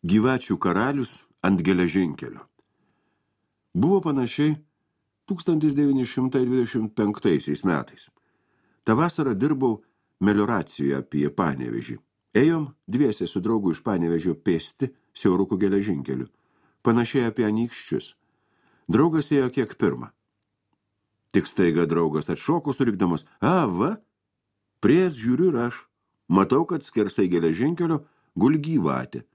Gyvačių karalius ant geležinkelio. Buvo panašiai 1925 metais. Ta vasarą dirbau melioracijoje apie Panevėžį. Ėjom dviese su draugu iš Panevėžio pėsti siaurukų geležinkeliu. Panašiai apie anykščius. Draugas ėjo kiek pirmą. Tik staiga draugas atšoko surikdamas, va, pries žiūriu ir aš. Matau, kad skersai geležinkelio guli gyvatė.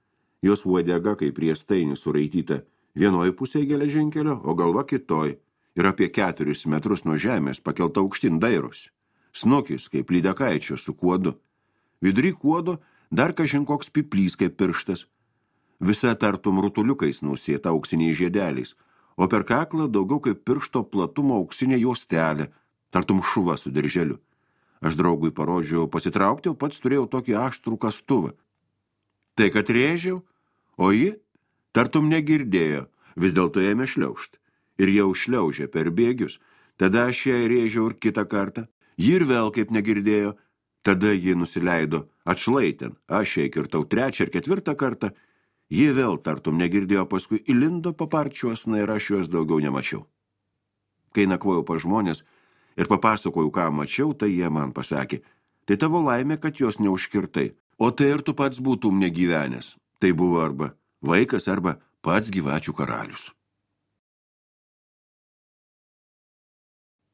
Jos uodega kaip riestainis suraityta vienoj pusėje geležinkelio, o galva kitoj. Ir apie 4 metrus nuo žemės pakelta aukštin dairosi. Snukis kaip lydekaičio su kuodu. Vidury kuodo dar kažin koks piplys kaip pirštas. Visa tartum rutuliukais nusėta auksiniais žiedeliais, o per kaklą daugiau kaip piršto platumo auksinė juostelė, tartum šuva su dirželiu. Aš draugui parodžiau pasitraukti, o pats turėjau tokį aštrų kastuvą. Tai kad rėžiau, o ji tartum negirdėjo, vis dėlto ėmė šliaužt. Ir jau šliaužė per bėgius. Tada aš ją rėžiau ir kitą kartą. Ji ir vėl kaip negirdėjo. Tada ji nusileido atšlaitėn. Aš ją kirtau 3 ir 4 kartą. Ji vėl tartum negirdėjo, paskui įlindo paparčiuosna ir aš juos daugiau nemačiau. Kai nakvojau pas žmonės ir papasakojau, ką mačiau, tai jie man pasakė, tai tavo laimė, kad jos neužkirtai. O tai ir tu pats būtum negyvenęs. Tai buvo arba vaikas, arba pats gyvačių karalius.